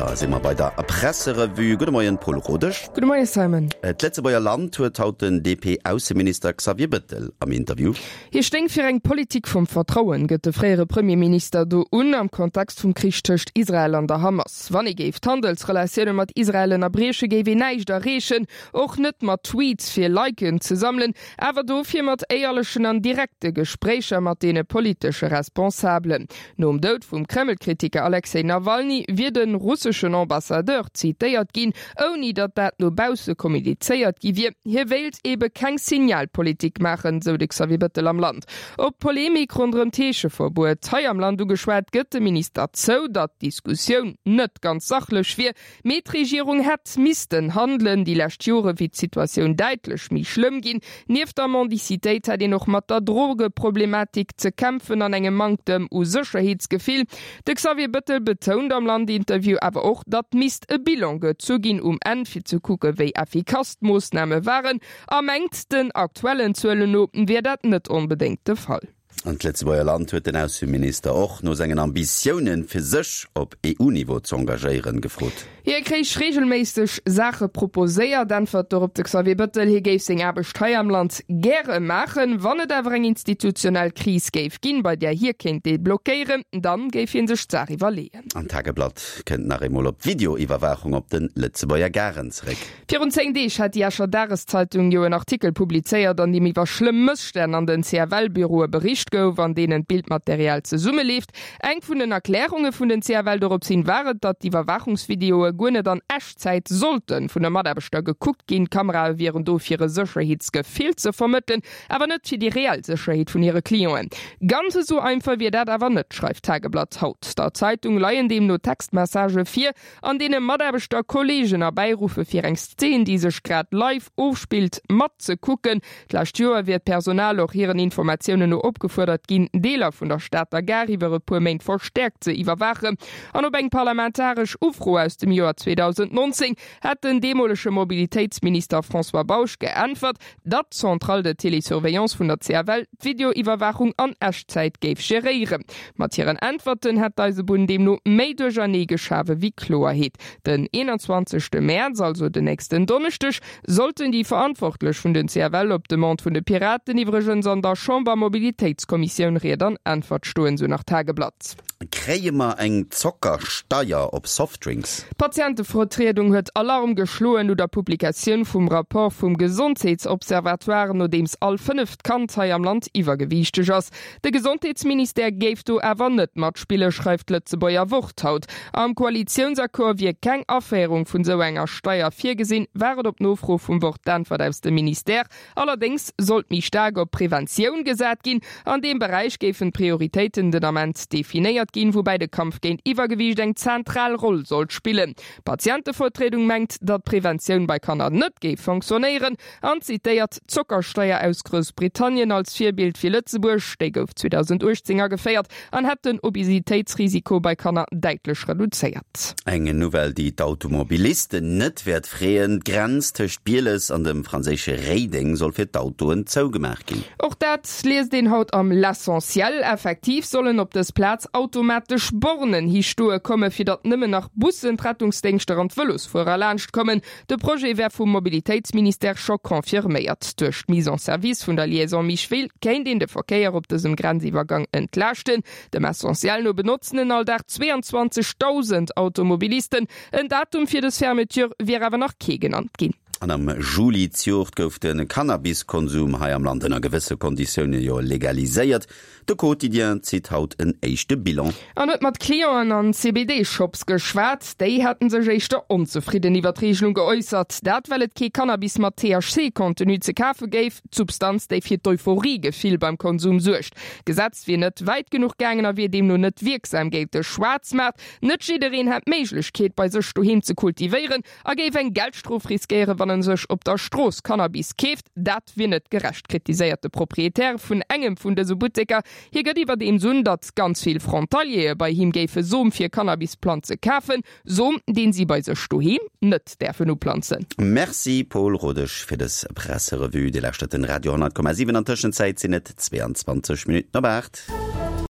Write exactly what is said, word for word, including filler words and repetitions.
Da si mer bei der Presserevue. Gudde Moien, Paul Rodesch. Gudde Moien, Simon. D'Lëtzebuerger Land huet haut den D P-Ausseminister Xavier Bettel am Interview. Hie stéing fir eng Politik vum Vertrauen, gëtt de fréiere Premierminister do un am Kontext vum Krich tëscht Israel an der Hamas. Wann ee géif d'Handelsrelatioune mat Israel ënnerbrieche géif een näischt erreechen, och net mat Tweets fir Liken ze sammelen, awer dofir mat éierlechen an direkte Gespréicher mat deene politesche Responsabelen. Nom Doud vum Kremlkritiker Alexei Nawalny wier de russeschen Ambassadeur zitéiert ginn, ouni datt dat no bausse kommunizéiert gi wier. Hie wéilt ebe keng Signalpolitik maachen, sou de Xavier Bettel am Land. Op d'Polemik ronderëm d'Heescheverbuet hei am Land ugeschwat, gëtt de Minister zou, datt d'Diskussioun net ganz sachlech wier, mee d'Regierung hätt missten handelen. Déi lescht Jore wier d'Situatioun däitlech méi schlëmm ginn. Nieft der Mendicitéit hätt een och mat der Drogeproblematik ze kämpfen an engem Manktem u Sécherheetsgefill. De Xavier Bettel betount am Land-Interview awer och, datt misst e Bilan gezu ginn um Enn fir ze kucke wéi effikass d'Moossname waren a mengt, den aktuellen Zuelen no wier dat net onbedéngt de Fall. An d'Lëtzebuerger Land huet den Ausseminister och no sengen Ambitiounen, fir sech op E U-Niveau ze engagéieren, gefrot. Hie kréich reegelméisseg Saache proposéiert, äntwert dorop de Xavier Bettel. Hie géif seng Aarbecht hei am Land gäre maachen. Wann et awer eng institutionell Kris géif ginn, bei där hie kéint deblockéieren, dann géif hie sech d'Saach iwwerleeën. An Tageblatt kënnt nach eemol op d'Videoiwwerwaachung op de Lëtzebuerger Garen zeréck. Virun zéng Deeg hat déi Escher Dageszeitung jo en Artikel publizéiert, an deem iwwer schlëmm Mësstänn an den C F L-Büroe bericht gouf, an deenen d'Bildmaterial zesummeleeft. Eng vun den Erklärunge vun den C F L dorop hin war et, datt d'Iwwerwaachungsvideoe guer net an Echtzäit sollte vun de Mataarbechter gekuckt ginn. D'Kamerae wieren do fir e Sécherheetsgefill ze vermëttelen, awer net fir déi reell Sécherheet vun hire Clienten. Ganz esou einfach wier dat awer net, schreift Tageblatt haut. Der Zeitung leien deemno Textmessagë vir, an deene Mataarbechter Kolleegen erbäiruffe fir eng Szen, déi sech grad live ofspillt, matzekucken. D'lescht Joer wier d'Personal och hiren Informatiounen no opgefuerdert ginn, Deeler vun der Stater Gare iwwer e puer Méint verstäerkt ze iwwerwaachen. An op eng parlamentaresch Ufro aus dem Joer zweedausendnonzéng hat den deemolege Mobilitéitsminister François Bausch geäntwert, datt d'Centrale de télésurveillance vun der C F L d'Videoiwwerwaachung an Echtzäit géif geréieren. Mat hiren Äntwerten hätt d'Eisebunn deemno méi Duerchernee geschafe wéi Kloerheet. Den eenanzwanzegste Mäerz, also den nächsten Donneschdeg, sollten déi Verantwortlech vun den C F L op Demande vun de Piraten iwwregens an der Chambermobilitéitskommissioun Ried an Äntwert stoen, sou nach Tageblatt. Kréie mer eng Zockersteier op Softdrinks? D'Patientevertriedung huet Alarm geschloen no der Publikatioun vum Rapport vum Gesondheetsobservatoire, nodeems all fënneft Kand hei am Land iwwergewiichteg ass. De Gesondheetsministère géif do awer net matspillen, schreift d'Lëtzebuerger Wort haut. Am Koalitiounsaccord wier keng Aféierung vun sou enger Steier virgesinn, war et op Nofro vum Wort d'Äntwert aus dem Ministère. Allerdéngs sollt méi staark op Preventioun gesat ginn. An deem Beräich géifen d'Prioritéiten den Ament definéiert ginn, woubäi de Kampf géint Iwwergewiicht eng zentral Roll sollt spillen. D'Patientevertriedung mengt, datt Preventioun bei Kanner net géif funktionéieren an zitéiert d'Zockersteier aus Groussbritannien als Virbild fir Lëtzebuerg, déi gouf zweedausendachtzéng ageféiert an hätt den Obesitéitsrisiko bei Kanner däitlech reduzéiert. Eng Nouvelle, déi d'Automobilisten net wäert freeën: D'Grenz tëscht Bieles an dem franséische Réideng soll fir d'Autoen zougemaach ginn. Och dat liest een haut am L'Essentiel. Effektiv sollen op dës Plaz automatesch Bornen histoe komme fir datt nëmmen nach Bussen, d'Rettungsdéngschter an d'Vëlosfuerer laanscht kommen. De Projet wär vum Mobilitéitsministère scho confirméiert. Duerch d'Mise en service vun der Liaison Micheville kéint een de Verkéier op dësem Grenziwwergang entlaaschten. Dem Essentiel no benotzen en all Dag zweiandzwanzegdausend Automobilisten. En Datum fir dës Fermeture wier awer nach kee genannt ginn. An am Juli zejoert gouf de Cannabiskonsum hei am Land ënner gewësse Konditioune jo legaliséiert. De Quotidien zitt haut en éischte Bilan. An huet mat Clienten an C B D-Shops geschwat. Déi hätten sech éischter onzefridden iwwer d'Regelung geäussert. Dat well et kee Cannabis mat T H C-Contenu ze kafe géif, d'Substanz, déi fir d'Euphoriegefill beim Konsum suergt. D'Gesetz wier net wäit genuch gaangen a wier deemno net wierksam géint de Schwaarzmaart. Net jiddereen hätt d'Méiglechkeet, bei sech doheem ze kultivéieren a géif eng Geldstrof riskéieren, wann en sech op der Strooss Cannabis keeft. Dat wier net gerecht, kritiséiert de Proprietär vun engem vun dëse Butteker. Hie gëtt iwwerdeems un, datt ganz vill Frontaliere bei him géife Som fir Cannabisplanze kafen, Som, deen si bei sech doheem net däerfen uplanzen. Merci Paul Rodesch fir dës Presserevue. Dir lauschtert den Radio honnert Komma siwen. An Tëschenzäit sinn et zweiandzwanzeg Minutten op aacht.